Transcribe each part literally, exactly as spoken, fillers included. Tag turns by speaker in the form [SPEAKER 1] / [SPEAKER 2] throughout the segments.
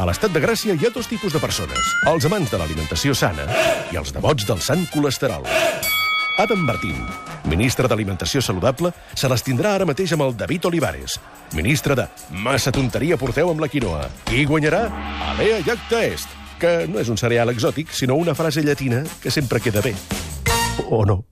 [SPEAKER 1] A l'Estat de Gràcia hi ha dos tipus de persones. Els amants de l'alimentació sana i els devots del sant colesterol. Adam Martín, ministre d'Alimentació Saludable, se les tindrà ara mateix amb el David Olivares, ministre de Massa tonteria porteu amb la quinoa. Qui guanyarà? Alea Jacta Est, que no és un cereal exòtic, sinó una frase llatina que sempre queda bé. O no.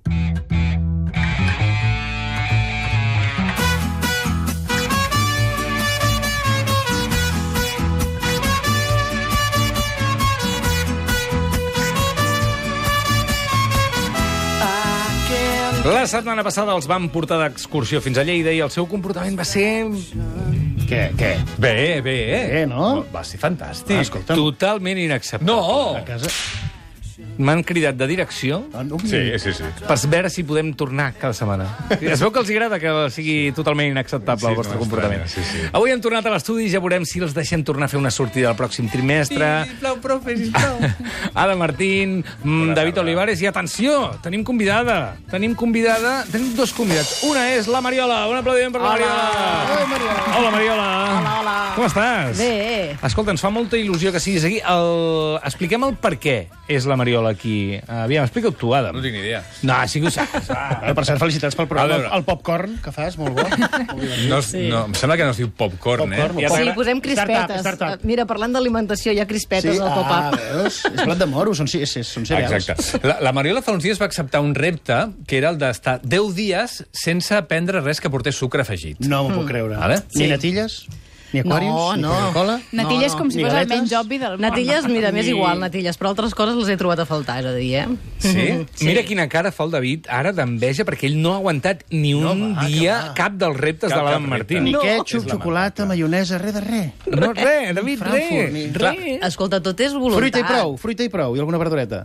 [SPEAKER 2] La setmana passada els vam portar d'excursió fins a Lleida i el seu comportament va ser...
[SPEAKER 3] Què, què?
[SPEAKER 2] Bé, bé.
[SPEAKER 3] Bé, no?
[SPEAKER 2] Va ser fantàstic.
[SPEAKER 3] Ah, escolta'm.
[SPEAKER 2] Totalment inacceptable.
[SPEAKER 3] No! A casa...
[SPEAKER 2] M'han cridat de direcció
[SPEAKER 3] Ah, no,
[SPEAKER 2] sí, sí, sí. per veure si podem tornar cada setmana. Es veu que els agrada que sigui totalment inacceptable sí, el vostre no, comportament.
[SPEAKER 4] Sí, sí.
[SPEAKER 2] Avui hem tornat a l'estudi i ja veurem si els deixem tornar a fer una sortida el pròxim trimestre.
[SPEAKER 4] Sisplau, profe, sisplau.
[SPEAKER 2] Ada Martín, Bona David tarda. Olivares i atenció, tenim convidada. Tenim convidada, tenim dos convidats. Una és la Mariola. Un aplaudiment per la
[SPEAKER 5] Hola.
[SPEAKER 2] Mariola.
[SPEAKER 5] Hola, Mariola.
[SPEAKER 2] Hola, Mariola.
[SPEAKER 5] Hola, hola.
[SPEAKER 2] Com estàs?
[SPEAKER 5] Bé.
[SPEAKER 2] Escolta, ens fa molta il·lusió que siguis aquí. El... Expliquem el per què és la Mariola aquí. Aviam, explica-ho tu, Adam.
[SPEAKER 4] No tinc ni idea.
[SPEAKER 2] No, sí que ho saps.
[SPEAKER 3] Ah, per cert, felicitats pel programa. El popcorn que fas, molt bo.
[SPEAKER 4] No, sí. no, em sembla que no es diu popcorn,
[SPEAKER 3] Popcorn,
[SPEAKER 4] eh?
[SPEAKER 5] Sí, posem crispetes.
[SPEAKER 3] Startup, startup.
[SPEAKER 5] Mira, parlant d'alimentació, hi ha crispetes al
[SPEAKER 3] Ah,
[SPEAKER 5] pop-up.
[SPEAKER 3] veus? És blat de moro, són, sí, són cereals.
[SPEAKER 4] Exacte. La, la Mariola fa uns dies va acceptar un repte que era el d'estar deu dies sense prendre res que portés sucre afegit.
[SPEAKER 3] No m'ho puc creure.
[SPEAKER 4] Vale.
[SPEAKER 3] Ni
[SPEAKER 5] Sí.
[SPEAKER 3] natilles, ni aquarius,
[SPEAKER 5] No,
[SPEAKER 3] ni
[SPEAKER 5] no.
[SPEAKER 3] Coca-Cola.
[SPEAKER 6] Natilles
[SPEAKER 5] No,
[SPEAKER 6] com si
[SPEAKER 3] ni
[SPEAKER 6] fos el
[SPEAKER 3] galetes.
[SPEAKER 6] menys obvi del món.
[SPEAKER 5] Natilles, mira, m'és
[SPEAKER 3] Ni-
[SPEAKER 5] igual, natilles, però altres coses les he trobat a faltar, és a dir, eh?
[SPEAKER 2] Sí?
[SPEAKER 5] Sí.
[SPEAKER 2] Mira quina cara fa el David ara d'enveja perquè ell no ha aguantat ni un
[SPEAKER 3] No, va,
[SPEAKER 2] dia
[SPEAKER 3] que va.
[SPEAKER 2] cap dels reptes
[SPEAKER 4] Cap
[SPEAKER 2] de l'Adam
[SPEAKER 4] cap repte.
[SPEAKER 2] Martín.
[SPEAKER 3] Ni
[SPEAKER 5] No.
[SPEAKER 3] ketchup, xocolata, maionesa, res de res.
[SPEAKER 2] No, res, David,
[SPEAKER 3] Frankfurt, ni-
[SPEAKER 2] res. Res.
[SPEAKER 5] Escolta, tot és voluntat.
[SPEAKER 3] Fruita i prou, fruita i prou, i alguna verdureta.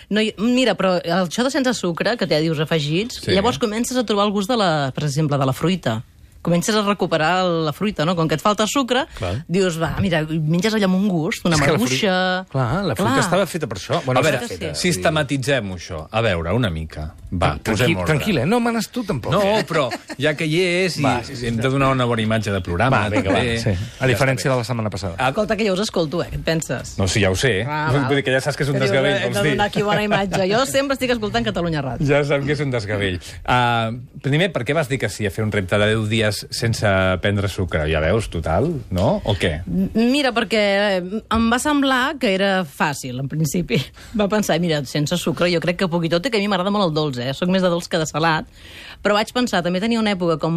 [SPEAKER 5] No, i- mira, però això de sense sucre, que ja dius afegits,
[SPEAKER 4] Sí.
[SPEAKER 5] llavors comences a trobar el gust, de la, per exemple, de la fruita. Comences a recuperar la fruita, no? Com que et falta sucre,
[SPEAKER 2] Clar.
[SPEAKER 5] dius, va, mira, menges allà amb un gust, una
[SPEAKER 2] És que la
[SPEAKER 5] maduixa...
[SPEAKER 2] fruita- Clar, la fruita
[SPEAKER 5] Clar.
[SPEAKER 2] estava feta per això. Bueno,
[SPEAKER 4] A veure,
[SPEAKER 5] sí.
[SPEAKER 2] feta.
[SPEAKER 4] sistematitzem-ho, això. A veure, una mica. Va, posem
[SPEAKER 2] Tranquil,
[SPEAKER 4] ordre.
[SPEAKER 2] tranquil, eh? No manes tu, tampoc.
[SPEAKER 4] No, però ja que hi és, i
[SPEAKER 2] Va, sí, sí,
[SPEAKER 4] hem de donar una bona imatge de programa.
[SPEAKER 2] Va, vinga, va.
[SPEAKER 4] també.
[SPEAKER 2] Sí. A diferència de la setmana passada.
[SPEAKER 4] Ah,
[SPEAKER 5] Escolta, que jo us escolto, eh? Què et penses?
[SPEAKER 4] no, sí, ja ho sé.
[SPEAKER 5] Ah,
[SPEAKER 4] Vull
[SPEAKER 5] val.
[SPEAKER 4] dir que ja saps que és un
[SPEAKER 5] Que dius,
[SPEAKER 4] desgavell,
[SPEAKER 5] eh,
[SPEAKER 4] vols
[SPEAKER 5] de
[SPEAKER 4] dir.
[SPEAKER 5] donar aquí bona imatge. Jo sempre estic escoltant Catalunya Ràdio.
[SPEAKER 4] Ja saps que és un desgavell. Uh, primer, per què vas dir que sí a fer un repte de deu dies sense prendre sucre? Ja veus, total, no? O què?
[SPEAKER 5] Mira, perquè em va semblar que era fàcil, en principi. Va pensar, mira, sense sucre, jo crec que poc i tot, i que a mi m'agrada molt el dolç, eh? Soc més de dolç que de salat. Però vaig pensar, també tenia una època com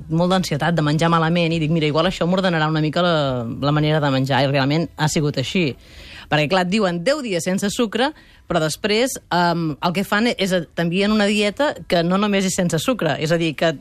[SPEAKER 5] molt d'ansietat, de menjar malament, i dic, mira, igual això m'ordenarà una mica la, la manera de menjar, i realment ha sigut així. Perquè, clar, et diuen deu dies sense sucre, però després um, el que fan és t'envien una dieta que no només és sense sucre, és a dir, que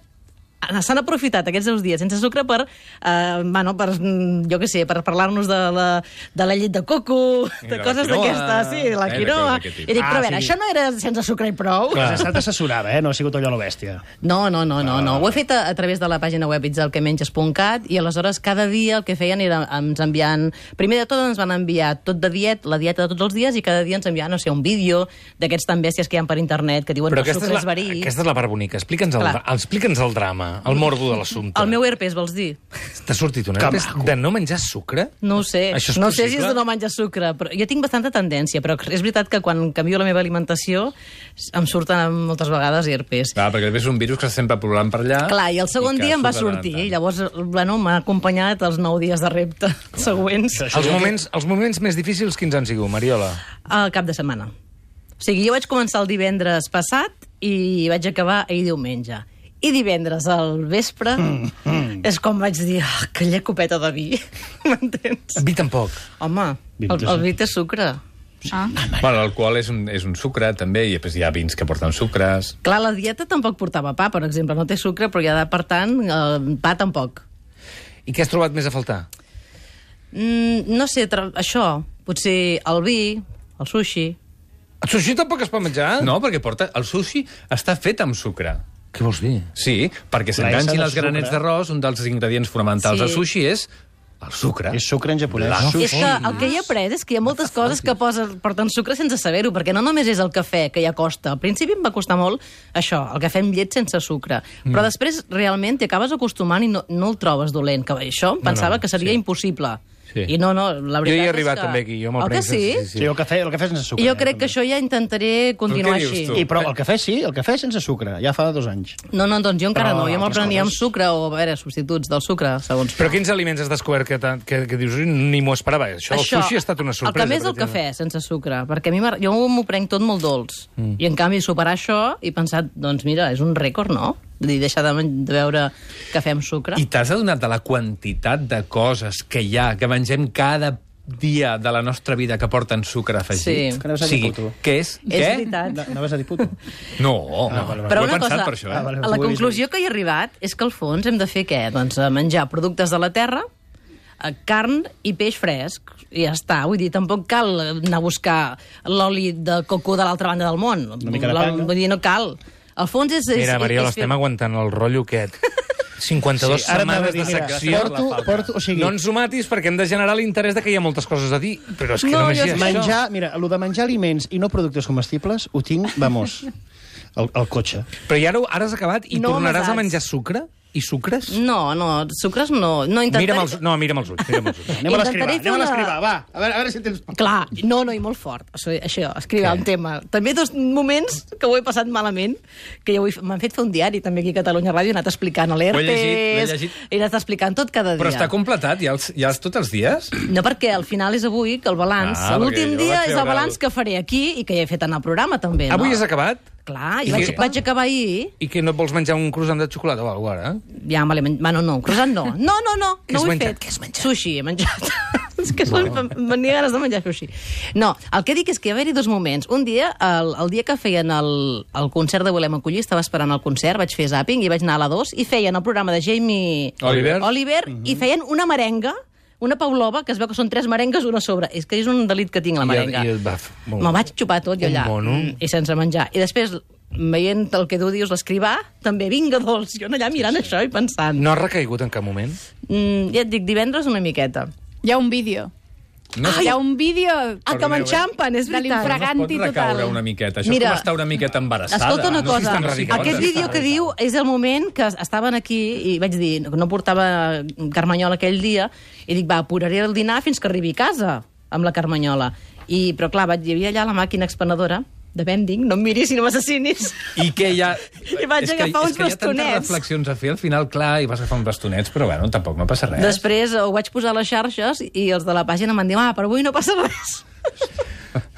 [SPEAKER 5] s'han aprofitat aquests deu dies sense sucre per, eh, bueno, per jo què sé, per parlar-nos de la, de la llet de coco,
[SPEAKER 4] I
[SPEAKER 5] de
[SPEAKER 4] de la
[SPEAKER 5] coses
[SPEAKER 4] quinoa.
[SPEAKER 5] d'aquestes, sí, de la
[SPEAKER 4] Eh, de
[SPEAKER 5] quinoa.
[SPEAKER 4] coses d'aquest tipus.
[SPEAKER 5] I dic, però a
[SPEAKER 3] Ah,
[SPEAKER 5] veure,
[SPEAKER 3] sí.
[SPEAKER 5] això no era sense sucre i prou?
[SPEAKER 3] Has estat assessorada, eh? No ha sigut allò a la bèstia.
[SPEAKER 5] No, no, no, no, no. Ho he fet a, a través de la pàgina web itzelquemenges punt cat i aleshores cada dia el que feien era ens enviant... Primer de tot ens van enviar tot de diet, la dieta de tots els dies, i cada dia ens enviaven, no sé, un vídeo d'aquests tan bèsties que hi ha per internet que diuen
[SPEAKER 2] Però
[SPEAKER 5] que el
[SPEAKER 2] aquesta és,
[SPEAKER 5] sucre
[SPEAKER 2] la,
[SPEAKER 5] és verí.
[SPEAKER 2] aquesta és la part bonica. Explica'ns el,
[SPEAKER 5] Clar.
[SPEAKER 2] explica'ns el drama, el morbo de l'assumpte.
[SPEAKER 5] El meu herpes, vols dir?
[SPEAKER 2] T'ha sortit un
[SPEAKER 3] Que
[SPEAKER 2] herpes
[SPEAKER 3] maco.
[SPEAKER 2] de no menjar sucre?
[SPEAKER 5] No ho sé.
[SPEAKER 2] Això és
[SPEAKER 5] no sé si
[SPEAKER 2] possible?
[SPEAKER 5] és de no menjar sucre, però jo tinc bastanta tendència, però és veritat que quan canvio la meva alimentació em surten moltes vegades herpes.
[SPEAKER 4] Clar, perquè és un virus que està sempre plolant per allà.
[SPEAKER 5] Clar, i el segon
[SPEAKER 4] que
[SPEAKER 5] dia em va
[SPEAKER 4] surt de tant en
[SPEAKER 5] sortir,
[SPEAKER 4] tant.
[SPEAKER 5] i llavors, bueno, m'ha acompanyat els nou dies de repte següents
[SPEAKER 2] Els moments, els moments més difícils quins han sigut, Mariola?
[SPEAKER 5] al cap de setmana. O sigui, jo vaig començar el divendres passat i vaig acabar ahir diumenge. I divendres al vespre mm, mm. és com vaig dir, oh, que llecopeta de vi, m'entens?
[SPEAKER 2] Vi tampoc.
[SPEAKER 5] Home, el, el vi té sucre.
[SPEAKER 6] Ah.
[SPEAKER 4] Bueno, l'alcohol és, un, és un sucre, també, i després hi ha vins que porten sucres.
[SPEAKER 5] Clar, la dieta tampoc portava pa, per exemple, no té sucre, però ja, per tant, el pa tampoc.
[SPEAKER 2] I què has trobat més a faltar?
[SPEAKER 5] Mm, no sé, tra- això, potser el vi, el sushi...
[SPEAKER 2] El sushi tampoc es pot menjar?
[SPEAKER 4] No, perquè porta... El sushi està fet amb sucre.
[SPEAKER 2] Què vols dir?
[SPEAKER 4] Sí, perquè
[SPEAKER 3] L'essa
[SPEAKER 4] s'enganxin
[SPEAKER 3] de
[SPEAKER 4] els granets
[SPEAKER 3] sucre.
[SPEAKER 4] d'arròs, un dels ingredients fonamentals
[SPEAKER 5] Sí.
[SPEAKER 4] del sushi és el sucre.
[SPEAKER 3] És sucre en japonès.
[SPEAKER 4] La
[SPEAKER 3] Sushi.
[SPEAKER 5] És que el que he après és que hi ha moltes coses que posen, porten sucre sense saber-ho, perquè no només és el cafè, que ja costa. Al principi em va costar molt això, el cafè amb llet sense sucre. Mm. Però després realment t'hi acabes acostumant i no, no el trobes dolent. Que això em pensava
[SPEAKER 2] no,
[SPEAKER 5] que seria
[SPEAKER 2] sí.
[SPEAKER 5] impossible.
[SPEAKER 2] Sí.
[SPEAKER 5] I no, no, la veritat
[SPEAKER 2] Jo hi he
[SPEAKER 5] és
[SPEAKER 2] arribat
[SPEAKER 5] que...
[SPEAKER 2] també aquí, jo me'l
[SPEAKER 5] El que
[SPEAKER 2] prenc
[SPEAKER 5] sí?
[SPEAKER 2] sense-
[SPEAKER 3] Sí, el cafè, el cafè sense sucre.
[SPEAKER 5] Jo
[SPEAKER 3] eh,
[SPEAKER 5] crec que
[SPEAKER 3] també.
[SPEAKER 5] això ja intentaré continuar
[SPEAKER 4] Però què
[SPEAKER 5] així.
[SPEAKER 4] dius tu?
[SPEAKER 3] I, però el cafè sí, el cafè sense sucre, ja fa dos anys.
[SPEAKER 5] No, no, doncs jo encara
[SPEAKER 3] Però
[SPEAKER 5] no. Jo me'l
[SPEAKER 3] altres
[SPEAKER 5] prenia amb
[SPEAKER 3] coses-
[SPEAKER 5] sucre o, a veure, substituts del sucre, segons.
[SPEAKER 2] Però quins aliments has descobert que, t'ha- que, que dius ni m'ho esperava? Això, el sushi ha estat una sorpresa.
[SPEAKER 5] El que més
[SPEAKER 2] per
[SPEAKER 5] el cafè, sense sucre, perquè a mi m'agrada- jo m'ho prenc tot molt dolç. Mm. I en canvi superar això i pensar, doncs mira, és un rècord, no? Vull dir, deixar de, men- de beure cafè amb sucre.
[SPEAKER 4] I t'has adonat de la quantitat de coses que hi ha, que mengem cada dia de la nostra vida que porten sucre afegit?
[SPEAKER 5] Sí.
[SPEAKER 3] Que anaves a
[SPEAKER 4] O
[SPEAKER 3] dir
[SPEAKER 4] sigui,
[SPEAKER 3] puto.
[SPEAKER 4] què és?
[SPEAKER 5] És
[SPEAKER 4] Què?
[SPEAKER 5] veritat.
[SPEAKER 3] No, anaves a dir puto?
[SPEAKER 4] No,
[SPEAKER 3] Ah, vale, vale.
[SPEAKER 5] Però
[SPEAKER 4] ho he
[SPEAKER 5] una
[SPEAKER 4] pensat
[SPEAKER 5] cosa,
[SPEAKER 4] per això, eh?
[SPEAKER 3] Ah, vale.
[SPEAKER 5] a la conclusió que he arribat és que al fons hem de fer què? Doncs eh, menjar productes de la terra, eh, carn i peix fresc. I ja està. Vull dir, tampoc cal anar a buscar l'oli de coco de l'altra banda del món.
[SPEAKER 3] Una mica de
[SPEAKER 5] La-
[SPEAKER 3] panga.
[SPEAKER 5] Vull dir, no cal. Al fons és... és
[SPEAKER 2] Mira, Mariola,
[SPEAKER 5] és fer-
[SPEAKER 2] estem aguantant el rotllo aquest. cinquanta-dues
[SPEAKER 3] Sí, ara
[SPEAKER 2] setmanes
[SPEAKER 3] anava a dir,
[SPEAKER 2] de
[SPEAKER 3] mira,
[SPEAKER 2] secció.
[SPEAKER 3] porto, porto, o sigui,
[SPEAKER 2] No ens ho matis perquè hem de generar l'interès de que hi ha moltes coses a dir. Però és que
[SPEAKER 5] No,
[SPEAKER 2] només
[SPEAKER 5] jo
[SPEAKER 2] hi ha
[SPEAKER 5] és que
[SPEAKER 2] això.
[SPEAKER 3] menjar, mira, el de menjar aliments i no productes comestibles ho tinc, vamos, al, al cotxe.
[SPEAKER 2] Però i ara, ara has acabat i
[SPEAKER 5] No
[SPEAKER 2] tornaràs a
[SPEAKER 5] amasats.
[SPEAKER 2] menjar sucre? I sucres?
[SPEAKER 5] No, no, sucres no. no intentaré...
[SPEAKER 2] Mira'm els, no, mira'm els ulls. Mira'm els ulls.
[SPEAKER 3] Anem a l'escrivar,
[SPEAKER 5] Intentaré fer
[SPEAKER 3] anem a
[SPEAKER 5] una-
[SPEAKER 3] l'escrivar, va. A veure, a veure si tens...
[SPEAKER 5] Clar, no, no, i molt fort. Això, això escriure un tema. També dos moments que ho he passat malament, que ja ho he- m'han fet fer un diari, també aquí a Catalunya Ràdio, he anat explicant
[SPEAKER 4] Ho he llegit, l'he
[SPEAKER 5] l'Herpes,
[SPEAKER 4] llegit.
[SPEAKER 5] he anat explicant tot cada dia.
[SPEAKER 4] Però està completat, ja, els, ja els, tots els dies?
[SPEAKER 5] No, perquè al final és avui, que el balanç,
[SPEAKER 4] Ah,
[SPEAKER 5] l'últim
[SPEAKER 4] perquè jo
[SPEAKER 5] dia
[SPEAKER 4] vaig
[SPEAKER 5] és el
[SPEAKER 4] veure
[SPEAKER 5] balanç
[SPEAKER 4] el-
[SPEAKER 5] que faré aquí i que ja he fet en el programa, també, no?
[SPEAKER 2] Avui has acabat?
[SPEAKER 5] Clar,
[SPEAKER 2] I
[SPEAKER 5] i vaig,
[SPEAKER 2] què?
[SPEAKER 5] vaig acabar ahir,
[SPEAKER 2] I que no et vols menjar un croissant de xocolata o alguna cosa, ara?
[SPEAKER 5] ja me l'he menjat. Bueno, no, croissant no. No, no, no,
[SPEAKER 2] Què
[SPEAKER 5] no
[SPEAKER 2] has
[SPEAKER 5] ho he
[SPEAKER 2] menjat?
[SPEAKER 5] fet.
[SPEAKER 2] Què has menjat?
[SPEAKER 5] Sushi he menjat. és que bueno. Venia ganes de menjar sushi. No, el que dic és que hi va haver-hi dos moments. Un dia, el, el dia que feien el, el concert de Volem Acollir, estava esperant el concert, vaig fer zàping i vaig anar a la dos, i feien el programa de Jamie
[SPEAKER 2] Oliver.
[SPEAKER 5] Oliver
[SPEAKER 2] Mhm.
[SPEAKER 5] i feien una merenga, una Pavlova, que es veu que són tres merengues una a sobre. És que és un delit que tinc, la
[SPEAKER 2] I el-
[SPEAKER 5] merenga.
[SPEAKER 2] i el baf. Molt
[SPEAKER 5] Me'l
[SPEAKER 2] bé.
[SPEAKER 5] vaig xupar tot jo
[SPEAKER 2] Un
[SPEAKER 5] allà,
[SPEAKER 2] mono.
[SPEAKER 5] mm, i sense menjar. I després, veient el que tu dius, l'escrivà, també, vinga, dolç. Jo allà mirant això i pensant.
[SPEAKER 2] No has recaigut en cap moment?
[SPEAKER 5] Mm, ja et dic, divendres una miqueta.
[SPEAKER 6] Hi ha un vídeo.
[SPEAKER 4] No
[SPEAKER 6] Hi ha un vídeo
[SPEAKER 5] Ah, que m'enxampen, és
[SPEAKER 6] de
[SPEAKER 5] veritat.
[SPEAKER 6] l'infraganti
[SPEAKER 4] pot recaure
[SPEAKER 6] total.
[SPEAKER 4] una miqueta. Això
[SPEAKER 5] Mira,
[SPEAKER 4] és com estar una miqueta embarassada.
[SPEAKER 5] Escolta una
[SPEAKER 4] no sé si
[SPEAKER 5] cosa,
[SPEAKER 4] és tan radical.
[SPEAKER 5] aquest vídeo que diu és el moment que estaven aquí i vaig dir, no portava Carmanyola aquell dia, i dic, va, apuraré el dinar fins que arribi a casa amb la Carmanyola. I, però clar, vaig, hi havia allà la màquina expenedora de vending, no em miris i no m'assassinis.
[SPEAKER 4] I que hi ha...
[SPEAKER 5] I vaig
[SPEAKER 4] és que,
[SPEAKER 5] agafar uns
[SPEAKER 4] és que hi ha tantes
[SPEAKER 5] bastonets.
[SPEAKER 4] reflexions a fer, al final, clar, i vas agafar uns bastonets, però bueno, tampoc no passa res.
[SPEAKER 5] Després ho vaig posar a les xarxes i els de la pàgina m'han dit, ah, però avui no passa res.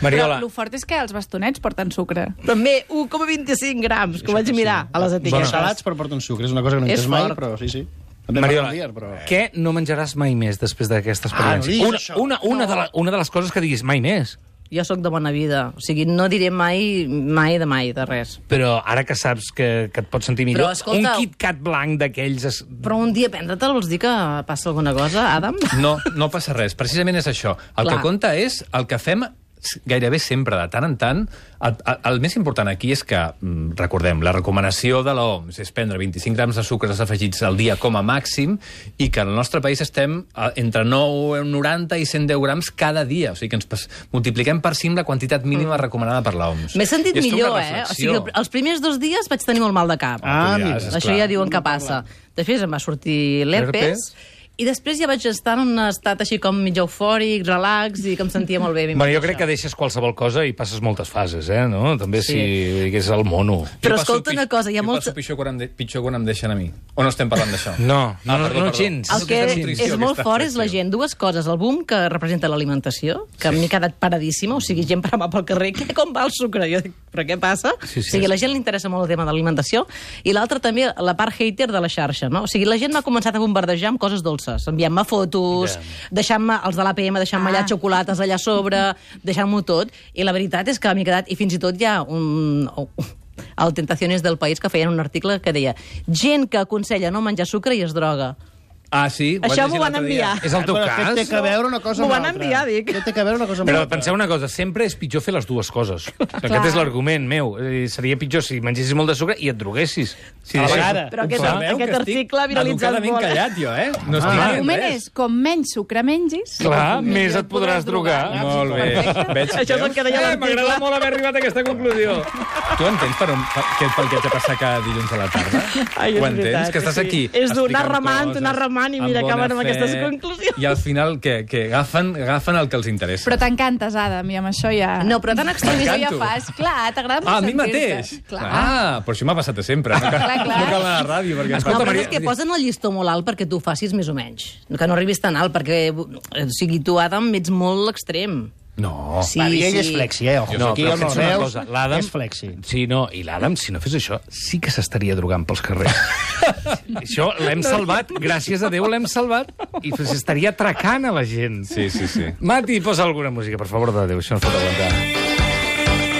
[SPEAKER 2] Mariola,
[SPEAKER 6] Però el fort és que els bastonets porten sucre.
[SPEAKER 5] També un coma vint-i-cinc grams, que ho vaig mirar a les
[SPEAKER 3] Bueno,
[SPEAKER 5] etiquetes.
[SPEAKER 3] salats per portar un sucre, és una cosa que no
[SPEAKER 5] És
[SPEAKER 3] entès mai,
[SPEAKER 5] fort.
[SPEAKER 3] però sí, sí. També
[SPEAKER 2] Mariola,
[SPEAKER 3] fa dies, però...
[SPEAKER 2] què no menjaràs mai més després d'aquesta
[SPEAKER 3] Ah, no
[SPEAKER 2] experiència?
[SPEAKER 3] diguis
[SPEAKER 2] una,
[SPEAKER 3] això.
[SPEAKER 2] una, una, de la, una de les coses que diguis mai més.
[SPEAKER 5] Jo sóc de bona vida, o sigui, no diré mai, mai de mai, de res.
[SPEAKER 2] Però ara que saps que, que et pots sentir millor,
[SPEAKER 5] Però, escolta-
[SPEAKER 2] un KitKat blanc d'aquells... Es...
[SPEAKER 5] Però un dia prendre-te'l vols dir que passa alguna cosa, Adam?
[SPEAKER 4] No, no passa res. Precisament és això. El
[SPEAKER 5] Clar.
[SPEAKER 4] que compta és el que fem gairebé sempre, de tant en tant. El, el, el més important aquí és que, mm, recordem, la recomanació de l'O M S és prendre vint-i-cinc grams de sucres afegits al dia com a màxim i que al nostre país estem a, entre nou, noranta i cent deu grams cada dia. O sigui que ens pas, multipliquem per cinc la quantitat mínima recomanada per l'O M S.
[SPEAKER 5] M'he sentit
[SPEAKER 4] I és tota
[SPEAKER 5] millor,
[SPEAKER 4] una
[SPEAKER 5] eh? O
[SPEAKER 4] reflexió.
[SPEAKER 5] sigui, els primers dos dies vaig tenir molt mal de cap.
[SPEAKER 3] Ah,
[SPEAKER 4] Ja,
[SPEAKER 3] mira.
[SPEAKER 4] és
[SPEAKER 5] Això
[SPEAKER 4] clar.
[SPEAKER 5] ja diuen que passa. Després em va sortir l'herpes, i després ja vaig estar en un estat així com mig eufòric, relax, i que em sentia molt bé.
[SPEAKER 2] Bueno, jo crec que deixes qualsevol cosa i passes moltes fases, eh? No? També
[SPEAKER 5] Sí.
[SPEAKER 2] si digués el mono.
[SPEAKER 5] Però
[SPEAKER 4] Jo passo
[SPEAKER 5] escolta
[SPEAKER 4] pi-
[SPEAKER 5] una cosa, hi ha
[SPEAKER 4] jo
[SPEAKER 5] molta-
[SPEAKER 4] passo pitjor quan, em de, pitjor quan em deixen a mi. O no estem parlant d'això?
[SPEAKER 2] No, no,
[SPEAKER 4] Ah,
[SPEAKER 2] no,
[SPEAKER 4] perdó,
[SPEAKER 2] no
[SPEAKER 4] perdó.
[SPEAKER 2] gens.
[SPEAKER 5] El que
[SPEAKER 4] Aquesta
[SPEAKER 5] és,
[SPEAKER 4] nutrició,
[SPEAKER 5] és molt
[SPEAKER 4] aquesta
[SPEAKER 5] fort és la
[SPEAKER 4] reflexió.
[SPEAKER 5] gent. Dues coses. El boom que representa l'alimentació, que sí. m'he quedat paradíssima, o sigui, gent parant pel carrer, què, com va el sucre? Jo dic, però què passa?
[SPEAKER 2] Sí, sí,
[SPEAKER 5] o sigui,
[SPEAKER 2] sí.
[SPEAKER 5] la gent li interessa molt el tema de l'alimentació. I l'altra també, la part hater de la xarxa, no? O sigui, la gent m'ha començat a bombardejar amb coses dolces, enviant-me fotos, deixant-me, els de l'A P M, deixant-me allà
[SPEAKER 6] Ah.
[SPEAKER 5] xocolates allà a sobre, deixant-m'ho tot. I la veritat és que m'he quedat, i fins i tot hi ha un... al Tentaciones del País, que feien un article que deia gent que aconsella no menjar sucre i es droga.
[SPEAKER 4] Ah, sí? Ho vaig
[SPEAKER 5] Això
[SPEAKER 4] llegir
[SPEAKER 5] m'ho van
[SPEAKER 4] l'altre dia.
[SPEAKER 5] enviar.
[SPEAKER 2] És el teu
[SPEAKER 3] Bueno,
[SPEAKER 2] cas?
[SPEAKER 3] Té que veure una cosa
[SPEAKER 5] M'ho
[SPEAKER 3] amb
[SPEAKER 5] van
[SPEAKER 3] l'altra.
[SPEAKER 5] enviar, dic.
[SPEAKER 3] Què té que veure una cosa amb
[SPEAKER 2] Però
[SPEAKER 3] l'altra?
[SPEAKER 2] penseu una cosa, sempre és pitjor fer les dues coses. Aquest és l'argument meu. Eh, Seria pitjor si mengessis molt de sucre i et droguessis. Si
[SPEAKER 3] A la
[SPEAKER 2] deixessis-
[SPEAKER 3] vegada.
[SPEAKER 5] Però aquest,
[SPEAKER 4] Sabeu
[SPEAKER 5] aquest
[SPEAKER 4] que estic
[SPEAKER 5] article ha viralitzat
[SPEAKER 4] educadament
[SPEAKER 5] molt.
[SPEAKER 4] callat, jo, eh? No estic
[SPEAKER 3] Ah.
[SPEAKER 4] dient
[SPEAKER 6] L'argument
[SPEAKER 4] res.
[SPEAKER 6] és, com menys sucre mengis...
[SPEAKER 2] Clar, més et podràs drogar.
[SPEAKER 4] Molt bé. Veig,
[SPEAKER 5] Això és el que deia
[SPEAKER 2] Eh,
[SPEAKER 5] l'article.
[SPEAKER 2] M'agrada molt haver arribat a aquesta conclusió.
[SPEAKER 4] Tu entens per, on, per, què, pel que et passa cada dilluns a la tarda?
[SPEAKER 5] Ai, és
[SPEAKER 4] Ho entens?
[SPEAKER 5] veritat,
[SPEAKER 4] Que estàs
[SPEAKER 5] sí.
[SPEAKER 4] aquí
[SPEAKER 5] És d'un anar
[SPEAKER 4] explicant
[SPEAKER 5] remant,
[SPEAKER 4] coses.
[SPEAKER 5] anar remant. reclamant i mira, acaben amb aquestes conclusions.
[SPEAKER 4] I al final, què? Que agafen, agafen el que els interessa.
[SPEAKER 6] Però t'encantes, Adam, i amb això ja...
[SPEAKER 5] No, però tan extremista
[SPEAKER 6] Això ja
[SPEAKER 4] M'encanto.
[SPEAKER 6] fas. Clar, t'agrada
[SPEAKER 4] Ah, a mi
[SPEAKER 6] sentir-te.
[SPEAKER 4] mateix?
[SPEAKER 6] Clar.
[SPEAKER 4] Ah, però això m'ha passat a sempre. No cal,
[SPEAKER 6] Clar, clar.
[SPEAKER 4] no cal anar a la ràdio. Perquè...
[SPEAKER 5] No,
[SPEAKER 2] Escolta,
[SPEAKER 5] però
[SPEAKER 2] Maria-
[SPEAKER 5] és que posen el llistó molt alt perquè tu ho facis més o menys. Que no arribis tan alt, perquè, o sigui, tu, Adam, ets molt extrem.
[SPEAKER 4] No.
[SPEAKER 5] Sí,
[SPEAKER 3] Va, ell és
[SPEAKER 5] sí.
[SPEAKER 3] flexi, eh? Ojo,
[SPEAKER 2] No,
[SPEAKER 3] aquí
[SPEAKER 2] però
[SPEAKER 3] el no
[SPEAKER 2] pensa una
[SPEAKER 3] veus,
[SPEAKER 2] cosa, l'Adam...
[SPEAKER 3] és flexi.
[SPEAKER 2] Sí, no, i l'Adam, si no fes això, sí que s'estaria drogant pels carrers. Això l'hem salvat, gràcies a Déu l'hem salvat, i s'estaria atracant a la gent.
[SPEAKER 4] Sí, sí, sí.
[SPEAKER 2] Mati, posa alguna música, per favor de Déu, això no es pot aguantar.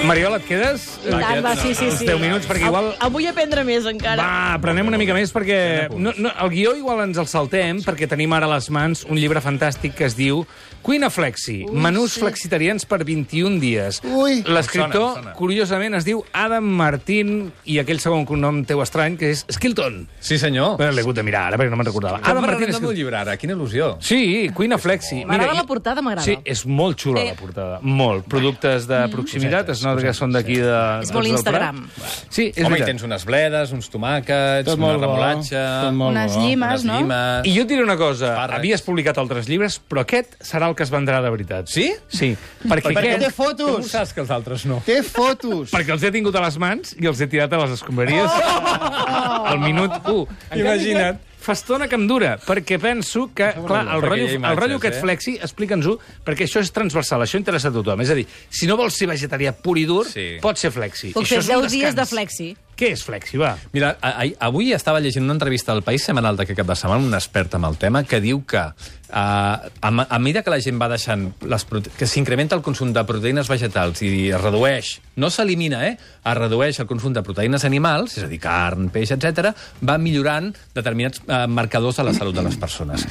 [SPEAKER 2] Mariola, et quedes?
[SPEAKER 5] I tant, va, sí, sí,
[SPEAKER 2] Els
[SPEAKER 5] sí.
[SPEAKER 2] deu minuts, perquè igual...
[SPEAKER 5] Avui aprendre més, encara.
[SPEAKER 2] Va, aprenem una mica més, perquè no, no, el guió igual ens el saltem, perquè tenim ara a les mans un llibre fantàstic que es diu Cuina Flexi, menús
[SPEAKER 3] sí.
[SPEAKER 2] flexitarians per vint-i-un dies.
[SPEAKER 3] Ui.
[SPEAKER 2] L'escriptor,
[SPEAKER 4] Em sona, em sona.
[SPEAKER 2] curiosament, es diu Adam Martín, i aquell segon cognom teu estrany, que és Skilton.
[SPEAKER 4] Sí, senyor.
[SPEAKER 2] Bé, l'he hagut de mirar ara, perquè no me'n recordava.
[SPEAKER 4] Com
[SPEAKER 2] Adam Martín
[SPEAKER 4] parlarem del
[SPEAKER 2] Skilton.
[SPEAKER 4] llibre ara? Quina il·lusió.
[SPEAKER 2] Sí, Cuina Flexi.
[SPEAKER 5] M'agrada
[SPEAKER 2] Mira,
[SPEAKER 5] la portada, m'agrada.
[SPEAKER 2] Sí, és molt xula
[SPEAKER 5] Sí.
[SPEAKER 2] la portada. Molt. Productes de proximitat, es nota que són d'aquí de...
[SPEAKER 5] És molt
[SPEAKER 2] del
[SPEAKER 5] Instagram.
[SPEAKER 2] Prat. Sí, és
[SPEAKER 4] Home, hi
[SPEAKER 2] veritat.
[SPEAKER 4] tens unes bledes, uns tomàquets,
[SPEAKER 3] Tot
[SPEAKER 4] una
[SPEAKER 3] molt bo,
[SPEAKER 4] remolatxa...
[SPEAKER 3] tot molt
[SPEAKER 6] Unes
[SPEAKER 3] bo.
[SPEAKER 6] llimes,
[SPEAKER 4] unes
[SPEAKER 6] no?
[SPEAKER 4] llimes...
[SPEAKER 2] I jo et diré una cosa,
[SPEAKER 4] Espàrrecs.
[SPEAKER 2] havies publicat altres llibres, però aquest serà el que es vendrà de veritat.
[SPEAKER 4] Sí?
[SPEAKER 2] Sí, perquè,
[SPEAKER 3] Perquè té
[SPEAKER 2] aquest...
[SPEAKER 4] Com ho
[SPEAKER 3] fotos!
[SPEAKER 4] saps que els altres no?
[SPEAKER 3] Té fotos!
[SPEAKER 2] Perquè els he tingut a les mans i els he tirat a les escombraries al minut u.
[SPEAKER 4] Imagina't.
[SPEAKER 2] Fa estona que em dura, perquè penso que, clar, el
[SPEAKER 4] Perquè
[SPEAKER 2] rotllo,
[SPEAKER 4] hi ha imatges,
[SPEAKER 2] el rotllo aquest
[SPEAKER 4] eh?
[SPEAKER 2] flexi, explica'ns-ho, perquè això és transversal, això interessa a tothom. És a dir, si no vols ser vegetarià pur i dur,
[SPEAKER 4] Sí.
[SPEAKER 2] pot ser flexi.
[SPEAKER 5] Puc
[SPEAKER 2] Això
[SPEAKER 5] fer
[SPEAKER 2] és un
[SPEAKER 5] deu dies de
[SPEAKER 2] descans.
[SPEAKER 5] flexi.
[SPEAKER 2] Què és flexi, va?
[SPEAKER 4] Mira, a, a, avui estava llegint una entrevista al País Semanal d'aquest cap de setmana, un expert en el tema, que diu que uh, a, a mesura que la gent va deixant les prote... que s'incrementa el consum de proteïnes vegetals i es redueix, no s'elimina, eh? Es redueix el consum de proteïnes animals, és a dir, carn, peix, etcètera, va millorant determinats uh, marcadors de la salut de les persones.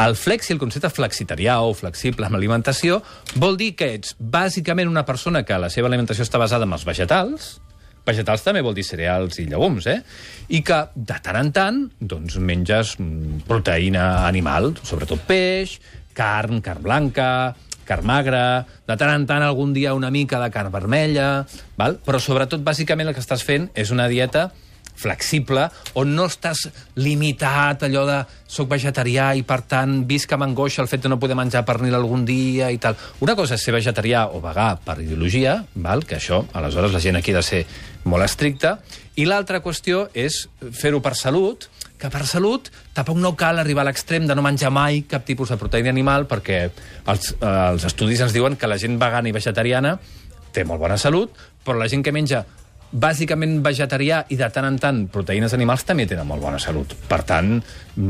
[SPEAKER 4] El flexi, el concepte flexitarià o flexible amb alimentació, vol dir que ets bàsicament una persona que la seva alimentació està basada en els vegetals. Vegetals també vol dir cereals i llegums, eh? I que, de tant en tant, doncs, menges mm, proteïna animal, sobretot peix, carn, carn blanca, carn magra, de tant en tant algun dia una mica de carn vermella, val? Però sobretot, bàsicament, el que estàs fent és una dieta flexible, on no estàs limitat, allò de soc vegetarià i, per tant, visc amb angoixa el fet de no poder menjar pernil algun dia i tal. Una cosa és ser vegetarià o vegà per ideologia, val? Que això, aleshores, la gent aquí ha de ser molt estricta, i l'altra qüestió és fer-ho per salut, que per salut tampoc no cal arribar a l'extrem de no menjar mai cap tipus de proteïna animal, perquè els, eh, els estudis ens diuen que la gent vegana i vegetariana té molt bona salut, però la gent que menja bàsicament vegetarià i de tant en tant proteïnes animals també tenen molt bona salut. Per tant,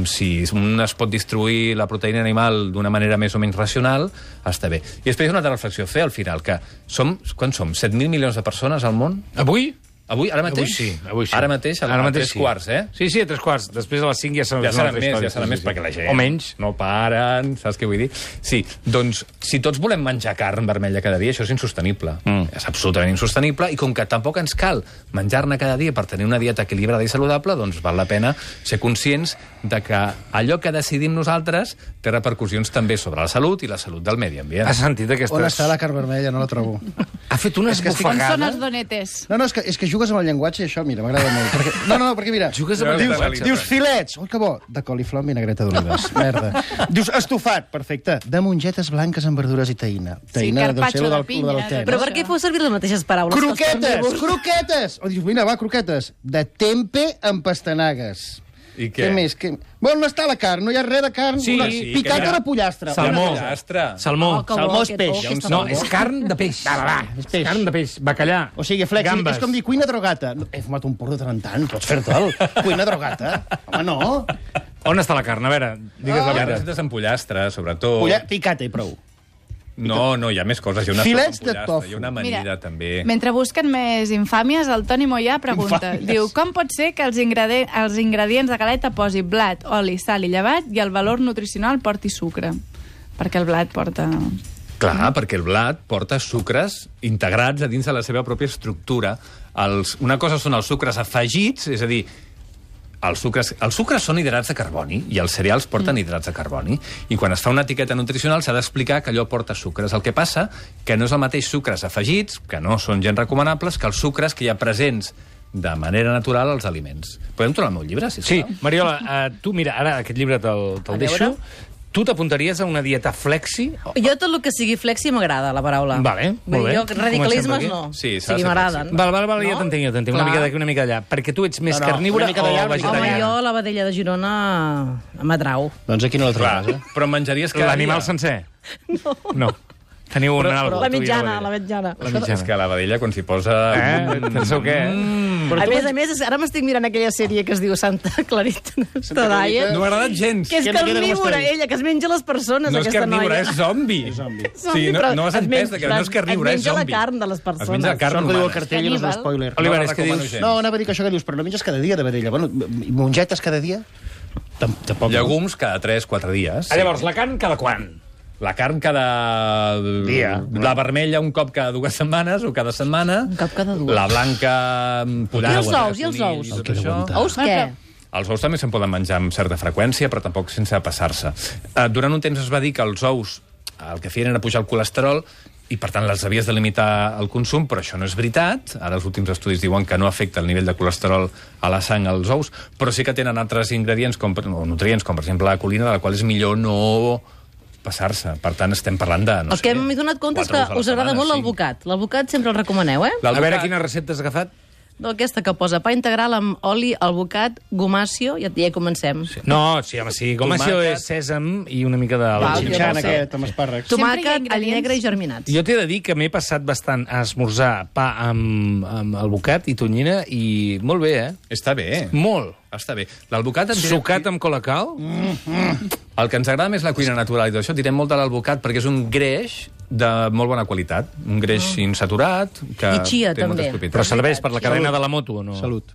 [SPEAKER 4] si un es pot distribuir la proteïna animal d'una manera més o menys racional, està bé. I després hi ha una altra reflexió a fer al final, que som, quan som? set mil milions de persones al món?
[SPEAKER 2] Avui?
[SPEAKER 4] Avui, ara mateix?
[SPEAKER 2] Avui sí, avui sí.
[SPEAKER 4] Ara mateix, a,
[SPEAKER 2] Ara
[SPEAKER 4] a
[SPEAKER 2] mateix
[SPEAKER 4] tres
[SPEAKER 2] sí.
[SPEAKER 4] quarts, eh?
[SPEAKER 2] Sí, sí, a tres quarts. Després a les cinc ja serà,
[SPEAKER 4] Ja
[SPEAKER 2] una
[SPEAKER 4] serà
[SPEAKER 2] altra
[SPEAKER 4] més,
[SPEAKER 2] història.
[SPEAKER 4] ja serà
[SPEAKER 2] Sí,
[SPEAKER 4] més,
[SPEAKER 2] sí,
[SPEAKER 4] perquè la
[SPEAKER 2] sí.
[SPEAKER 4] gent
[SPEAKER 2] O menys.
[SPEAKER 4] no paren, saps què vull dir? Sí, doncs, si tots volem menjar carn vermella cada dia, això és insostenible. Mm. És absolutament insostenible, i com que tampoc ens cal menjar-ne cada dia per tenir una dieta equilibrada i saludable, doncs val la pena ser conscients de que allò que decidim nosaltres té repercussions també sobre la salut i la salut del medi ambient.
[SPEAKER 2] Has sentit aquestes...
[SPEAKER 3] On està la carn vermella? No la trobo.
[SPEAKER 2] Ha fet una
[SPEAKER 3] És que estic-
[SPEAKER 6] On són
[SPEAKER 2] esbufegada.
[SPEAKER 6] els donetes?
[SPEAKER 3] No, no, és que, és que jugues amb el llenguatge i això, mira, m'agrada molt. Perquè, no, no, perquè mira,
[SPEAKER 2] Jugues amb el
[SPEAKER 3] dius,
[SPEAKER 2] llenguatge.
[SPEAKER 3] dius filets, oi que bo, de coliflor amb vinagreta d'olives, merda. Dius estofat, perfecte, de mongetes blanques amb verdures i taïna. Taïna deu
[SPEAKER 6] carpaccio
[SPEAKER 3] ser lo
[SPEAKER 6] de
[SPEAKER 3] del,
[SPEAKER 6] pinya,
[SPEAKER 3] lo del
[SPEAKER 6] de-
[SPEAKER 3] te,
[SPEAKER 5] Però
[SPEAKER 3] no?
[SPEAKER 5] per què feu servir les mateixes paraules? pels
[SPEAKER 3] Croquetes,
[SPEAKER 5] carnívors?
[SPEAKER 3] croquetes! O dius, mira, va, croquetes. De tempe amb pastanagues.
[SPEAKER 4] I què?
[SPEAKER 3] Què més? Què... Bueno, no està la carn, no hi ha res de carn.
[SPEAKER 2] Sí,
[SPEAKER 3] Una...
[SPEAKER 2] sí,
[SPEAKER 3] Picat
[SPEAKER 2] que hi ha-
[SPEAKER 3] o de pollastre?
[SPEAKER 2] Salmó.
[SPEAKER 3] Una cosa.
[SPEAKER 4] Pollastre.
[SPEAKER 2] Salmó.
[SPEAKER 5] Oh, que bo,
[SPEAKER 3] Salmó és
[SPEAKER 5] aquest-
[SPEAKER 3] peix.
[SPEAKER 5] oh, aquesta
[SPEAKER 2] No,
[SPEAKER 5] salmó.
[SPEAKER 2] és carn de peix. Va, va,
[SPEAKER 3] és
[SPEAKER 2] és
[SPEAKER 3] peix.
[SPEAKER 2] carn de peix. Bacallà.
[SPEAKER 3] O sigui, flex,
[SPEAKER 2] Gambes.
[SPEAKER 3] és com dir cuina drogata. He fumat un porro de tant en tant, pots fer-te'l. Cuina drogata. Home, no.
[SPEAKER 2] On està la carn? A veure, digues la
[SPEAKER 4] Hi ha
[SPEAKER 2] veritat.
[SPEAKER 4] receptes amb pollastre, sobretot.
[SPEAKER 3] Polla... Picata i prou.
[SPEAKER 4] No, no, hi ha més coses. Hi ha una
[SPEAKER 3] Filets
[SPEAKER 4] sopa amb
[SPEAKER 3] de
[SPEAKER 4] pollastre,
[SPEAKER 3] tofu.
[SPEAKER 4] hi ha una amanida,
[SPEAKER 6] Mira,
[SPEAKER 4] també.
[SPEAKER 6] mentre busquen més infàmies, el Toni Moyà pregunta,
[SPEAKER 3] Infàmies.
[SPEAKER 6] diu, com pot ser que els, ingredi els ingredients de galeta posi blat, oli, sal i llevat i el valor nutricional porti sucre? Perquè el blat porta...
[SPEAKER 4] Clar, perquè el blat porta sucres integrats a dins de la seva pròpia estructura. Els, una cosa són els sucres afegits, és a dir, els sucres, els sucres són hidrats de carboni i els cereals porten mm. hidrats de carboni, i quan es fa una etiqueta nutricional s'ha d'explicar que allò porta sucres. El que passa que no és el mateix sucres afegits, que no són gens recomanables, que els sucres que hi ha presents de manera natural els aliments. Podem tornar al meu llibre, sisplau?
[SPEAKER 2] Sí, Mariola, uh, tu, mira, ara aquest llibre te'l te deixo. Tu t'apuntaries a una dieta flexi?
[SPEAKER 5] Jo tot el que sigui flexi m'agrada, la paraula.
[SPEAKER 2] Vale, molt bé.
[SPEAKER 5] Jo, radicalismes
[SPEAKER 2] Comencem per
[SPEAKER 5] no.
[SPEAKER 4] aquí. Sí,
[SPEAKER 5] o
[SPEAKER 4] s'ha de
[SPEAKER 5] sigui,
[SPEAKER 4] ser
[SPEAKER 5] m'agraden.
[SPEAKER 2] Val, val, val,
[SPEAKER 5] No?
[SPEAKER 2] ja t'entenc, ja t'entenc. Una
[SPEAKER 5] Clar.
[SPEAKER 2] mica d'aquí, una mica allà. Perquè tu ets més
[SPEAKER 3] No, no,
[SPEAKER 2] carnívora
[SPEAKER 3] una mica
[SPEAKER 2] o
[SPEAKER 3] d'allà, una mica
[SPEAKER 5] Home,
[SPEAKER 2] vegetariana?
[SPEAKER 5] jo la vedella de Girona m'atrau.
[SPEAKER 3] Doncs aquí no la
[SPEAKER 4] Clar,
[SPEAKER 3] trobes, eh?
[SPEAKER 4] però menjaries cada
[SPEAKER 2] L'animal
[SPEAKER 4] dia.
[SPEAKER 2] sencer? No. No. Teniu un
[SPEAKER 4] Però-
[SPEAKER 2] algo.
[SPEAKER 5] La
[SPEAKER 2] tu i
[SPEAKER 5] mitjana, la
[SPEAKER 2] vedella.
[SPEAKER 5] mitjana.
[SPEAKER 2] La mitjana.
[SPEAKER 4] És que la vedella, quan s'hi posa...
[SPEAKER 2] Eh? Penseu què?
[SPEAKER 4] Mm.
[SPEAKER 5] A més a més, ara m'estic mirant aquella sèrie que es diu Santa Clarita Tadalla,
[SPEAKER 4] No m'ha agradat gens.
[SPEAKER 5] que és
[SPEAKER 3] Que no queda com
[SPEAKER 5] carnívora,
[SPEAKER 3] està.
[SPEAKER 5] ella, que es menja les persones,
[SPEAKER 4] No és
[SPEAKER 5] aquesta
[SPEAKER 4] carnívora,
[SPEAKER 5] noia.
[SPEAKER 4] és zombi.
[SPEAKER 3] És zombi.
[SPEAKER 4] Sí, no,
[SPEAKER 5] però
[SPEAKER 4] no has
[SPEAKER 5] es
[SPEAKER 4] entès
[SPEAKER 5] menja-
[SPEAKER 4] que no és carnívora, és
[SPEAKER 5] es menja
[SPEAKER 4] zombi.
[SPEAKER 5] la carn de les persones.
[SPEAKER 4] Es menja la carn
[SPEAKER 3] Això que diu el
[SPEAKER 4] humana.
[SPEAKER 3] cartell no és un
[SPEAKER 5] Caníbal.
[SPEAKER 3] spoiler.
[SPEAKER 2] Oliver,
[SPEAKER 4] No
[SPEAKER 2] és
[SPEAKER 4] la
[SPEAKER 2] que
[SPEAKER 4] recomano
[SPEAKER 2] dius...
[SPEAKER 4] gens.
[SPEAKER 3] No, anava a dir que això que dius, però no menges cada dia de vedella. Bueno, i mongetes cada dia? Tam- Tampoc. no.
[SPEAKER 4] Llegums cada tres quatre dies.
[SPEAKER 2] Ah, llavors, la carn cada quan?
[SPEAKER 4] La carn cada...
[SPEAKER 2] Dia.
[SPEAKER 4] La vermella un cop cada dues setmanes o cada setmana.
[SPEAKER 5] Un cop cada dues.
[SPEAKER 4] La blanca...
[SPEAKER 5] I els ous, i els ous?
[SPEAKER 4] tot
[SPEAKER 3] El que deu
[SPEAKER 4] això.
[SPEAKER 3] aguantar.
[SPEAKER 5] Ous què?
[SPEAKER 4] Els ous també se'n poden menjar amb certa freqüència, però tampoc sense passar-se. Uh, durant un temps es va dir que els ous el que feien era pujar el colesterol i, per tant, les havies de limitar el consum, però això no és veritat. Ara els últims estudis diuen que no afecta el nivell de colesterol a la sang als ous, però sí que tenen altres ingredients, com, o nutrients, com per exemple la colina, de la qual és millor no passar-se. Per tant, estem parlant de... No
[SPEAKER 5] El que
[SPEAKER 4] sé,
[SPEAKER 5] m'he donat compte és
[SPEAKER 4] quatre
[SPEAKER 5] que
[SPEAKER 4] ous a la
[SPEAKER 5] us agrada
[SPEAKER 4] setmana,
[SPEAKER 5] molt
[SPEAKER 4] cinc.
[SPEAKER 5] l'alvocat. L'alvocat sempre el recomaneu, eh?
[SPEAKER 2] A veure
[SPEAKER 4] L'alvocat-
[SPEAKER 2] quina recepta has agafat.
[SPEAKER 5] Aquesta que posa pa integral amb oli, alvocat, gomàcio, ja, ja hi comencem.
[SPEAKER 2] No, sí, home, sí. Com això
[SPEAKER 4] Tomàquet.
[SPEAKER 2] és sèsam i una mica de...
[SPEAKER 5] Val,
[SPEAKER 3] El
[SPEAKER 5] jo
[SPEAKER 3] xinxan
[SPEAKER 5] no sé.
[SPEAKER 3] aquest, amb espàrrecs.
[SPEAKER 6] Sempre hi ha
[SPEAKER 5] Tomàquet, all
[SPEAKER 6] ingredients.
[SPEAKER 5] negre i germinats.
[SPEAKER 2] Jo t'he de dir que m'he passat bastant a esmorzar pa amb, amb alvocat i tonyina i molt bé, eh?
[SPEAKER 4] Està bé.
[SPEAKER 2] Molt.
[SPEAKER 4] Està bé. L'alvocat... en direm-
[SPEAKER 2] Sucat amb colacao?
[SPEAKER 4] El que ens agrada més la cuina natural i tot això, direm molt de l'alvocat perquè és un greix de molt bona qualitat. Un greix insaturat, que
[SPEAKER 5] I chia,
[SPEAKER 4] té moltes
[SPEAKER 5] també.
[SPEAKER 2] Però
[SPEAKER 4] propietats.
[SPEAKER 2] serveix per la cadena de la moto o no?
[SPEAKER 3] Salut.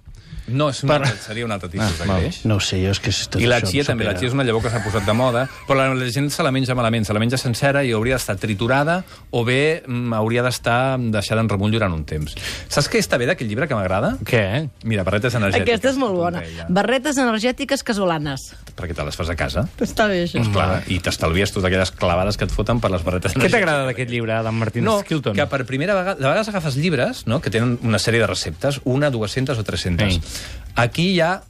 [SPEAKER 4] No, és un altre, seria un altre tipus de greix.
[SPEAKER 3] No ho sé, jo és que... és tot
[SPEAKER 4] I la
[SPEAKER 3] això
[SPEAKER 4] chia
[SPEAKER 3] em
[SPEAKER 4] també, la
[SPEAKER 3] supera.
[SPEAKER 4] chia és una llavor que s'ha posat de moda, però la, la gent se la menja malament, se la menja sencera i hauria d'estar triturada o bé mm, hauria d'estar deixada en remull durant un temps. Saps què està bé d'aquest llibre que m'agrada?
[SPEAKER 2] Què?
[SPEAKER 4] Mira, barretes energètiques.
[SPEAKER 5] Aquesta és molt bona.
[SPEAKER 4] Deia.
[SPEAKER 5] Barretes energètiques casolanes.
[SPEAKER 4] Perquè te les fas a casa.
[SPEAKER 5] Està bé, això.
[SPEAKER 4] Clar, i t'estalvies totes aquelles clavades que et foten per les barretes
[SPEAKER 2] Què t'agrada d'aquest llibre, Adam Martín
[SPEAKER 4] No,
[SPEAKER 2] Skilton?
[SPEAKER 4] que per primera vegada... De vegades agafes llibres, no?, que tenen una sèrie de receptes, una, dues-centes o tres-centes.
[SPEAKER 2] Sí.
[SPEAKER 4] Aquí hi ha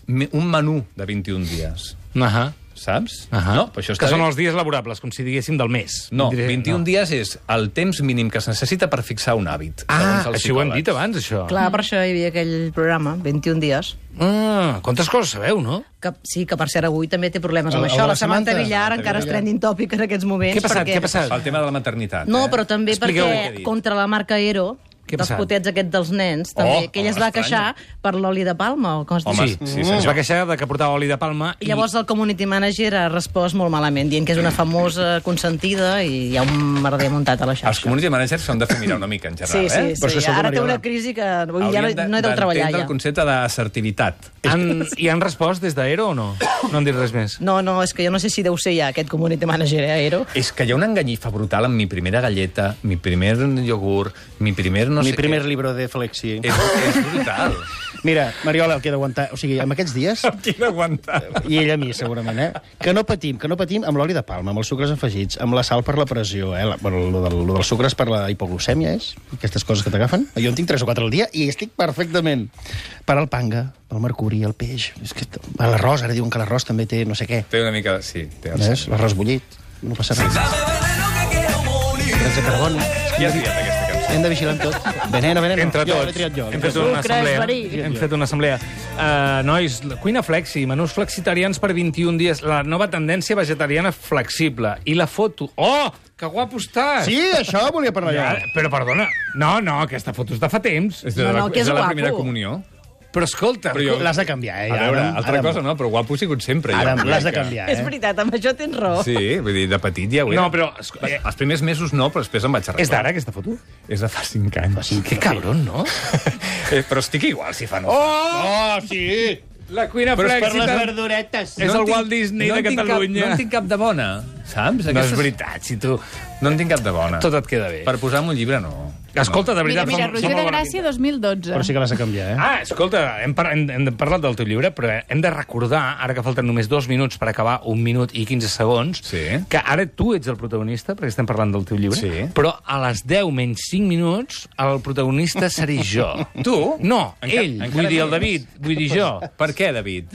[SPEAKER 4] me- un menú de vint-i-un dies,
[SPEAKER 2] Ahà.
[SPEAKER 4] saps?
[SPEAKER 2] Ahà.
[SPEAKER 4] No, però això està
[SPEAKER 2] que són
[SPEAKER 4] bé.
[SPEAKER 2] els dies laborables, com si diguéssim del mes.
[SPEAKER 4] No,
[SPEAKER 2] Diré-
[SPEAKER 4] vint-i-un dies és el temps mínim que es necessita per fixar un hàbit.
[SPEAKER 2] Ah,
[SPEAKER 4] segons els
[SPEAKER 2] això ho hem
[SPEAKER 4] psicòlegs.
[SPEAKER 2] dit abans, això.
[SPEAKER 5] Clar, per això hi havia aquell programa, vint-i-un dies.
[SPEAKER 2] Ah, quantes coses sabeu, no?
[SPEAKER 5] Que, sí, que per cert avui també té problemes amb
[SPEAKER 3] El- el
[SPEAKER 5] això.
[SPEAKER 3] de
[SPEAKER 5] La
[SPEAKER 3] la
[SPEAKER 5] Samantha
[SPEAKER 3] Samantha.
[SPEAKER 5] Villar
[SPEAKER 4] Samantha
[SPEAKER 5] encara és
[SPEAKER 4] Villar.
[SPEAKER 5] trending topic en aquests moments.
[SPEAKER 2] Què ha passat?
[SPEAKER 5] Perquè...
[SPEAKER 2] Què ha passat?
[SPEAKER 4] El tema de la maternitat.
[SPEAKER 5] No,
[SPEAKER 4] eh?
[SPEAKER 5] però també
[SPEAKER 2] Expliqueu què
[SPEAKER 4] ha
[SPEAKER 5] perquè
[SPEAKER 4] dit.
[SPEAKER 5] contra la marca Aero,
[SPEAKER 2] Què ha
[SPEAKER 5] dels
[SPEAKER 2] passat?
[SPEAKER 5] potets aquests dels nens, també,
[SPEAKER 4] Oh,
[SPEAKER 5] que ella es
[SPEAKER 4] oh,
[SPEAKER 5] va
[SPEAKER 4] estranya.
[SPEAKER 5] queixar per l'oli de palma, o com es diu?
[SPEAKER 4] Home,
[SPEAKER 2] Sí,
[SPEAKER 4] sí,
[SPEAKER 2] sí,
[SPEAKER 4] senyor.
[SPEAKER 2] es va queixar de que portava oli de palma
[SPEAKER 5] I llavors el community manager ha respost molt malament, dient que és una famosa consentida i hi ha un merder muntat a la
[SPEAKER 4] Els
[SPEAKER 5] xarxa.
[SPEAKER 4] community managers s'han de fer mirar una mica, en general,
[SPEAKER 5] Sí, sí,
[SPEAKER 4] eh?
[SPEAKER 5] sí.
[SPEAKER 3] Però és que escolta,
[SPEAKER 5] Ara té
[SPEAKER 3] Mariola,
[SPEAKER 5] una crisi que avui ja no,
[SPEAKER 4] Hauríem de-
[SPEAKER 5] no he de treballar
[SPEAKER 4] d'entendre
[SPEAKER 5] ja.
[SPEAKER 4] el concepte d'assertivitat.
[SPEAKER 2] Han, I han respost des d'Aero o no? No han dit res més.
[SPEAKER 5] No, no, és que jo no sé si deu ser ja aquest community manager, eh, Aero.
[SPEAKER 4] És que hi ha una enganyifa brutal amb mi primera galleta, mi primer iogurt, mi primer no
[SPEAKER 3] Mi
[SPEAKER 4] sé
[SPEAKER 3] primer
[SPEAKER 4] què.
[SPEAKER 3] libro de Flexi.
[SPEAKER 4] És, és brutal.
[SPEAKER 3] Mira, Mariola, el que he d'aguantar... O sigui, amb aquests dies...
[SPEAKER 4] Qui d'aguantar?
[SPEAKER 3] I ell a mi, segurament, eh? Que no patim, que no patim amb l'oli de palma, amb els sucres afegits, amb la sal per la pressió, eh? La, bueno, lo, del, lo dels sucres per la hipoglucèmia, és? Aquestes coses que t'agafen. Jo en tinc tres o quatre al dia i estic perfectament. Per al panga, pel mercuri, el peix... És que l'arròs, ara diuen que l'arròs també té no sé què.
[SPEAKER 4] Té una mica... Sí, té el
[SPEAKER 3] Ves? L'arròs bullit. No passa res. Hidrats de carboni.
[SPEAKER 4] Qui ha triat aquesta cançó?
[SPEAKER 3] Hem de vigilar amb tot. Veneno, veneno.
[SPEAKER 2] Entre
[SPEAKER 3] Jo,
[SPEAKER 2] tots.
[SPEAKER 3] l'he triat jo.
[SPEAKER 2] Hem fet una
[SPEAKER 5] Sucre,
[SPEAKER 2] assemblea.
[SPEAKER 5] verí.
[SPEAKER 2] Hem fet una assemblea. Uh, nois, la cuina flexi, menús flexitarians per vint-i-un dies. La nova tendència vegetariana flexible. I la foto. Oh, que guapo estàs!
[SPEAKER 3] Sí, això volia parlar
[SPEAKER 2] Ja,
[SPEAKER 3] jo.
[SPEAKER 2] però perdona, no, no, aquesta foto és de fa temps.
[SPEAKER 4] És de,
[SPEAKER 5] No,
[SPEAKER 4] la,
[SPEAKER 5] no, que
[SPEAKER 4] és de
[SPEAKER 5] és
[SPEAKER 4] la
[SPEAKER 5] guapo.
[SPEAKER 4] primera comunió.
[SPEAKER 2] Però escolta,
[SPEAKER 4] Però jo-
[SPEAKER 3] L'has de canviar, eh?
[SPEAKER 4] A veure,
[SPEAKER 3] Adam,
[SPEAKER 4] altra
[SPEAKER 3] Adam.
[SPEAKER 4] cosa no, però guapo he sigut sempre. jo,
[SPEAKER 3] Adam,
[SPEAKER 4] crec
[SPEAKER 3] l'has de
[SPEAKER 4] que-
[SPEAKER 3] canviar,
[SPEAKER 5] És
[SPEAKER 3] eh?
[SPEAKER 5] veritat, amb això tens raó.
[SPEAKER 4] Sí, vull dir, de petit ja ho era.
[SPEAKER 2] No, però... esco- eh,
[SPEAKER 4] Els primers mesos no, però després em vaig arreglar.
[SPEAKER 2] és d'ara, aquesta foto?
[SPEAKER 4] És de fa cinc anys.
[SPEAKER 2] Que cabron, no?
[SPEAKER 4] Eh, però estic igual, si fa no.
[SPEAKER 2] Oh!
[SPEAKER 3] Oh, sí!
[SPEAKER 2] La cuina
[SPEAKER 3] Però és per les
[SPEAKER 2] flexita
[SPEAKER 3] verduretes.
[SPEAKER 2] és el Walt Disney
[SPEAKER 4] no
[SPEAKER 2] de
[SPEAKER 4] en tinc
[SPEAKER 2] Catalunya.
[SPEAKER 4] Cap, no en tinc cap de bona. saps?
[SPEAKER 2] No és veritat, si tu...
[SPEAKER 4] No en tinc cap de bona.
[SPEAKER 2] Tot et queda bé.
[SPEAKER 4] Per posar-me un llibre, no.
[SPEAKER 2] Escolta, de
[SPEAKER 6] Mira,
[SPEAKER 2] veritat...
[SPEAKER 6] mira,
[SPEAKER 2] som- som
[SPEAKER 6] Roger de
[SPEAKER 2] molt bona
[SPEAKER 6] Gràcia,
[SPEAKER 2] pinta.
[SPEAKER 6] dos mil dotze.
[SPEAKER 3] Però sí que l'has de canviar, eh?
[SPEAKER 2] Ah, escolta, hem, par hem, hem parlat del teu llibre, però hem de recordar, ara que falten només dos minuts per acabar, un minut i quinze segons,
[SPEAKER 4] Sí.
[SPEAKER 2] que ara tu ets el protagonista, perquè estem parlant del teu llibre,
[SPEAKER 4] Sí.
[SPEAKER 2] però a les deu menys cinc minuts el protagonista seré jo.
[SPEAKER 4] Tu?
[SPEAKER 2] No,
[SPEAKER 4] Enca-
[SPEAKER 2] ell,
[SPEAKER 4] encara
[SPEAKER 2] vull dir el
[SPEAKER 4] més.
[SPEAKER 2] David, vull dir jo.
[SPEAKER 4] Per què, David?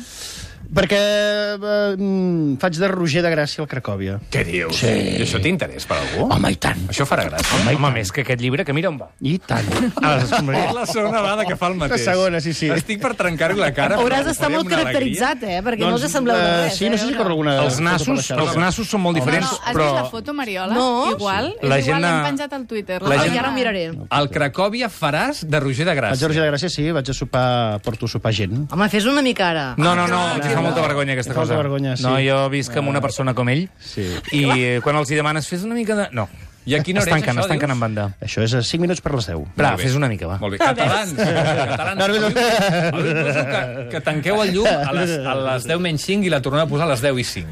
[SPEAKER 3] Perquè eh, mm, faig de Roger de Gràcia al Cracòvia.
[SPEAKER 4] Què dius? Sí. I això té interès per algú?
[SPEAKER 3] Home, i tant.
[SPEAKER 4] Això farà gràcia.
[SPEAKER 2] Home, home, més que aquest llibre, que mira on va.
[SPEAKER 3] I tant.
[SPEAKER 2] A les escombraries.
[SPEAKER 4] És la segona vegada que fa el mateix.
[SPEAKER 3] La segona, sí, sí.
[SPEAKER 4] Estic per trencar-li la cara.
[SPEAKER 5] Hauràs
[SPEAKER 4] però
[SPEAKER 5] d'estar
[SPEAKER 4] faré
[SPEAKER 5] molt
[SPEAKER 4] una alegria.
[SPEAKER 5] caracteritzat, eh? Perquè no us sembleu de
[SPEAKER 3] eh,
[SPEAKER 5] res.
[SPEAKER 3] Sí, no sé si corre alguna...
[SPEAKER 2] Els
[SPEAKER 3] foto per
[SPEAKER 2] nassos,
[SPEAKER 3] la xarxa.
[SPEAKER 2] els nassos són molt diferents,
[SPEAKER 6] No, has
[SPEAKER 2] però...
[SPEAKER 6] vist la foto, Mariola?
[SPEAKER 5] No.
[SPEAKER 6] Igual, és
[SPEAKER 2] La
[SPEAKER 6] igual,
[SPEAKER 2] gent ha-
[SPEAKER 6] l'hem penjat al Twitter.
[SPEAKER 2] La
[SPEAKER 5] Ai,
[SPEAKER 2] gent-
[SPEAKER 5] ara ho miraré.
[SPEAKER 4] Al Cracòvia faràs de Roger de
[SPEAKER 3] Vaig a
[SPEAKER 4] Gràcia.
[SPEAKER 3] Roger de Gràcia, sí, vaig a sopar, porto a sopar gent.
[SPEAKER 5] Home, fes una mica ara.
[SPEAKER 2] No, no, no, em fa molta vergonya aquesta
[SPEAKER 3] Em fa
[SPEAKER 2] cosa.
[SPEAKER 3] molta vergonya, sí.
[SPEAKER 2] No, jo visc amb una persona com ell,
[SPEAKER 3] Sí.
[SPEAKER 2] i eh, quan els hi demanes, fes una mica de... No.
[SPEAKER 4] I a quina hora és
[SPEAKER 2] Estan
[SPEAKER 4] això,
[SPEAKER 2] estan
[SPEAKER 4] dius?
[SPEAKER 2] en banda.
[SPEAKER 3] Això és a cinc minuts per les deu.
[SPEAKER 2] Va,
[SPEAKER 4] Molt bé.
[SPEAKER 2] fes una mica, va.
[SPEAKER 4] Molt bé. Catalans. Catalans.
[SPEAKER 3] No, no, no.
[SPEAKER 4] El suposo que, que tanqueu el llum a les, a les deu menys cinc i la torneu a posar a les deu i cinc.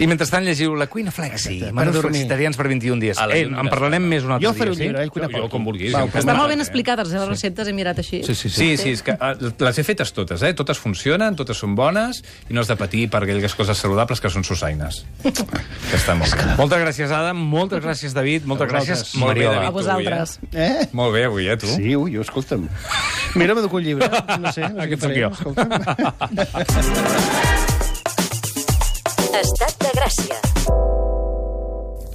[SPEAKER 2] I mentrestant llegiu La cuina flexi, menús
[SPEAKER 3] dormir.
[SPEAKER 2] flexitarians per vint i un dies.
[SPEAKER 4] A la
[SPEAKER 2] Eh,
[SPEAKER 4] llum
[SPEAKER 2] en
[SPEAKER 4] de
[SPEAKER 2] parlarem
[SPEAKER 4] Sara.
[SPEAKER 2] més un altre
[SPEAKER 3] Jo faré un
[SPEAKER 2] dia,
[SPEAKER 3] llibre,
[SPEAKER 2] sí?
[SPEAKER 3] eh? Cuina
[SPEAKER 4] Jo, jo, com vulguis.
[SPEAKER 3] Va,
[SPEAKER 4] em
[SPEAKER 5] Està
[SPEAKER 4] sembla
[SPEAKER 5] molt ben
[SPEAKER 4] bé.
[SPEAKER 5] explicades, les receptes, he mirat així.
[SPEAKER 2] Sí, sí, sí.
[SPEAKER 4] Sí, sí, és que eh, les he fetes totes, eh? Totes funcionen, totes són bones i no has de patir per aquelles coses saludables que són sussaines. Que està molt bé.
[SPEAKER 2] Moltes gràcies, Adam. Moltes gràcies, David. Moltes
[SPEAKER 3] A vosaltres.
[SPEAKER 2] gràcies,
[SPEAKER 4] Molt bé,
[SPEAKER 2] Mariola.
[SPEAKER 4] David.
[SPEAKER 5] A vosaltres.
[SPEAKER 3] Eh?
[SPEAKER 4] Molt bé, avui, eh, tu?
[SPEAKER 3] Sí, ui, escolta'm. Mira, m'adoco un llibre. No sé, no sé
[SPEAKER 2] Aquest
[SPEAKER 3] què
[SPEAKER 2] sóc
[SPEAKER 3] faré.
[SPEAKER 2] jo.
[SPEAKER 3] Escolta'm.
[SPEAKER 7] Estat de Gràcia.